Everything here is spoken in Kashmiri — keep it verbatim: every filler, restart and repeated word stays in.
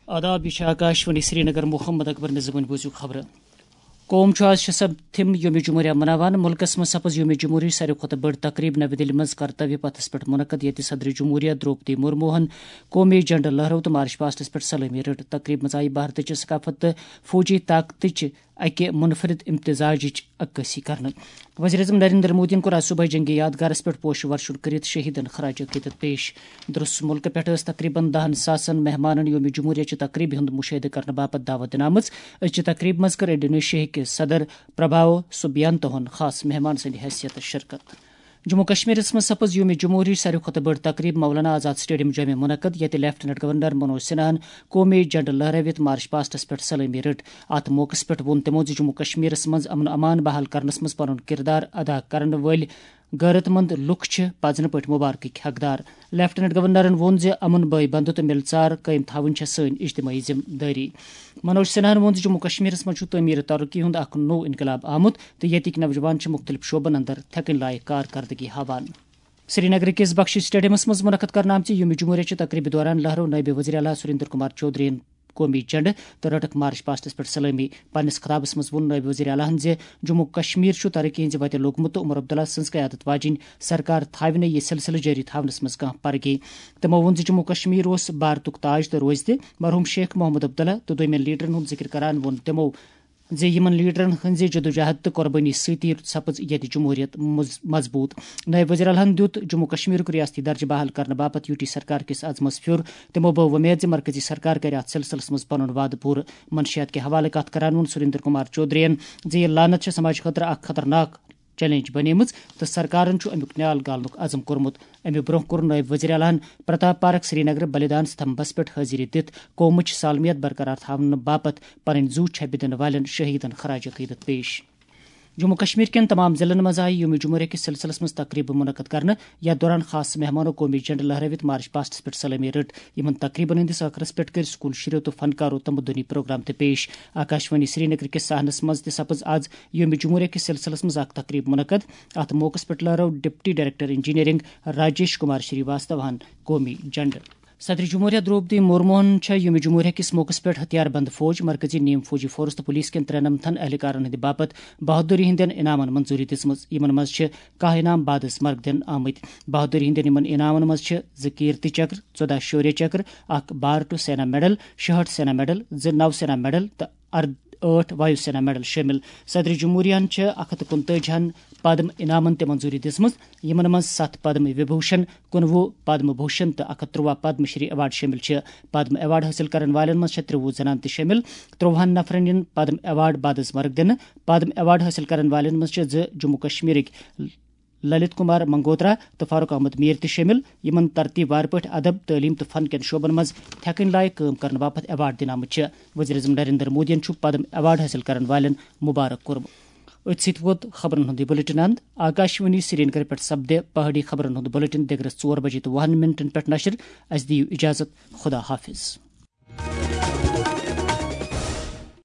آداب، یہِ چھِ آکاشوانی سرینگر۔ محمد اکبر نظمن بوٗزِو خبرٕ۔ قوم چھُ آز شےٚ سپتمبر یوم جمہوریہ مناوان۔ مُلکَس منٛز سپٕز یوم جمہوریہ ساروی کھۄتہٕ بٔڑ تقریٖب نَوِ دِلہِ منٛز کرتویہ پتھس پٮ۪ٹھ منعقد، ییٚتہِ صدر جمہوریہ درٛوپدی مرموہن قومی جھنڈٕ لہرٲو تہٕ مارچ پاسٹس پٮ۪ٹھ سلٲمی رٔٹ۔ تقریٖب منٛز آیہِ بھارتٕچہِ ثقافت تہٕ فوجی طاقتٕچ اکہِ منفرد امتزاجٕچ عکٲسی کرنہٕ۔ وزیر اعظم نریندر مودیَن کوٚر آز صبحٲے جنگی یادگارس پٮ۪ٹھ پوشہٕ ورشُن کٔرِتھ شہیدن خراج عقیدت پیش۔ درس مُلکہٕ پٮ۪ٹھ ٲس تقریباً دَہن ساسن مہمانن یوم جمہوریہ چہِ تقریبہِ ہُنٛد مُشاہدٕ کرنہٕ باپتھ دعوت دِنہٕ آمٕژ۔ أزچہِ تقریبہِ منٛز کٔر انڈونیشیاہٕکہِ صدر پراباو سُبیانتوہن خاص مہمان سٕنٛدِ حیثیت شرکت۔ جموں کشمیرس منٛز سپٕز یوم جمہوریہ ساروی کھۄتہٕ بٔڑ تقریب مولانا آزاد سٹیڈیم جومہِ منعقد، ییٚتہِ لیفٹیننٹ گورنر منوج سنہاہن قومی جھنڈٕ لہرٲوِتھ مارچ پاسٹس پٮ۪ٹھ سلٲمی رٔٹ۔ اتھ موقعس پٮ۪ٹھ ووٚن تِمو زِ جموں کشمیرس منٛز امن امان بحال کرنس منٛز پنُن کردار ادا کرن وٲلۍ غیرت مند لُکھ چھِ پزنہٕ پٲٹھۍ مبارکٕکۍ حقدار۔ لیفٹیننٹ گورنرن ووٚن زِ امن بٲے بندُت تہٕ مِلژار قٲیِم تھاوٕنۍ چھےٚ سٲنۍ اجتمٲعی ذمہٕ دٲری۔ منوج سنہاہن ووٚن زِ جموں کشمیرس منٛز چھُ تعمیٖر ترقی ہُنٛد اکھ نوٚو انقلاب آمُت تہٕ ییٚتِکۍ نوجوان چھِ مُختٔلِف شعبن اندر تھٮ۪کٕنۍ لایق کارکردگی ہاوان۔ سرینگرٕ کِس بخشی سٹیڈیمس منٛز منعقد کرنہٕ آمژِ یوم جمہوریہ چہِ تقریبہِ دوران لہرٲو نٲیِب وزیر اعلیٰ سُریندر کمار چودھرین قومی جھنڈٕ تہٕ رٔٹٕکھ مارچ پاسٹس پٮ۪ٹھ سلٲمی۔ پننِس خطابس منٛز ووٚن نٲیِب وزیر اعلیٰہن زِ جموں کشمیر چھُ ترقی ہٕنٛزِ وتہِ لوٚگمُت تہٕ عمر عبداللہ سٕنٛز قیادت واجیٚنۍ سرکار تھاوِ نہٕ یہِ سلسلہٕ جٲری تھاونس منٛز کانٛہہ پرگی۔ تِمو ووٚن زِ جموں کشمیر اوس بھارتُک تاج تہٕ روزِ تہِ۔ مرحوم شیخ محمد عبداللہ تہٕ دوٚیمٮ۪ن لیڈرن ہُنٛد ذِکر کران ووٚن تِمو زِ یِمن لیڈرن ہٕنٛزِ جدوجہد تہٕ قۄربٲنی سۭتی سپٕز ییٚتہِ جمہوریت مز-، مضبوٗط۔ نٲیِب وزیر اعلیٰ ہن دیُت جموں کشمیرُک ریاستی درجہٕ بحال کرنہٕ باپتھ یوٗ ٹی سرکار کِس عزمس پھیُر۔ تِمو بٲو وۄمید زِ مرکزی سرکار کرِ اتھ سلسلس منٛز پنُن وعدٕ پوٗرٕ۔ منشیات کہِ حوالہٕ کتھ کران ووٚن سُریندر کمار چودھرین زِ یہِ لعنت چھےٚ سماجہٕ خٲطرٕ اکھ خطرناک چیلنج بنیمٕژ تہٕ سرکارن چھُ امیُک نیال گالنُک عزم کوٚرمُت۔ امہِ برونٛہہ کوٚر نٲیِب وزیر اعلیٰ ہن پرتاپ پارک سرینگرٕ بلدان ستمبس پٮ۪ٹھ حٲضری دِتھ قومٕچ سالمیت برقرار تھاونہٕ باپتھ پنٕنۍ زُو چھپہِ دِنہٕ والٮ۪ن شہیدن خراج عقیدت پیش۔ جموں کشمیر کٮ۪ن تمام ضلعن منٛز آیہِ یوم جمہوریہ کِس سلسلس منٛز تقریبہٕ منعقد کرنہٕ۔ یتھ دوران خاص مہمانو قومی جھنڈٕ لہرٲوِتھ مارچ پاسٹس پٮ۪ٹھ سلٲمی رٔٹ۔ یِمن تقریبن ہٕنٛدِس ٲخرس پٮ۪ٹھ کٔرۍ سکول شُرٮ۪و تہٕ فنکارو تمدنی پروگرام تہِ پیش۔ آکاشوانی سرینگر کِس صحنس منٛز تہِ سپٕز آز یوم جمہوریہ کِس سلسلس منٛز اکھ تقریب منعقد۔ اتھ موقعس پٮ۪ٹھ لہرٲو deputy director engineering Rajesh Kumar شری واستواہن قومی جھنڈٕ۔ صدر جمہوریہ درٛوپدی مرموہن چھےٚ یوم جمہوریہ کِس موقعس پٮ۪ٹھ ہتھیار بند فوج، مرکزی نیم فوجی فورس تہٕ پولیس کٮ۪ن ترٛٮ۪ن نمتھن اہلکارن ہٕنٛدِ باپتھ بہادری ہٕنٛدٮ۪ن انعامن منظوٗری دِژمٕژ۔ یِمن منٛز چھِ کاہ انعام بعد از مرگ دِنہٕ آمٕتۍ۔ بہادری ہٕنٛدٮ۪ن یِمن انعامن منٛز چھِ زٕ کیرتی چکر، ژۄداہ شوریہ چکر، اکھ بار ٹو سینا میڈل، شُہٲٹھ سینا میڈل، زٕ نو سینا میڈل تہٕ ار-، ٲٹھ وایو سینا میڈل شٲمِل۔ صدر جمہوریہن چھِ اکھ ہتھ تہٕ کُنتٲجی ہن پدم انعامن تہِ منظوٗری دِژمٕژ، یِمن منٛز ستھ پدم وِبھوشن، کُنوُہ پدم بھوشن تہٕ اکھ ہتھ ترٛواہ پدم شری ایوارڈ شٲمِل چھِ۔ پدم ایوارڈ حٲصِل کرن والٮ۪ن منٛز چھےٚ ترٛوُہ زنانہٕ تہِ شٲمِل۔ ترٛوہن نفرن یِن پدم ایوارڈ بعد از مرگ دِنہٕ۔ پدم ایوارڈ حٲصِل کرن والٮ۪ن منٛز چھِ زٕ جموں کشمیرٕکۍ للت کمار منگوترا تہٕ فاروق احمد میر تہِ شٲمِل، یِمن ترتیب وار پٲٹھۍ ادب، تعلیٖم تہٕ فن کٮ۪ن شعبن منٛز تھٮ۪کٕنۍ لایق کٲم کرنہٕ باپتھ ایوارڈ دِنہٕ آمٕتۍ چھِ۔ وزیر اعظم نریندر مودیَن چھُ پدم ایوارڈ حٲصِل کرن والٮ۪ن مبارک کوٚرمُت۔ أتھۍ سۭتۍ ووت خبرن ہُنٛد یہِ بلیٹن اند۔ آکاشوانی سرینگر پٮ۪ٹھ سپدِ پہاڑی خبرن ہُنٛد بلیٹن دِگرس ژور بجے تہٕ وُہن منٹن پٮ۪ٹھ نشر۔ اسہِ دِیِو اجازت۔ خدا حافظ۔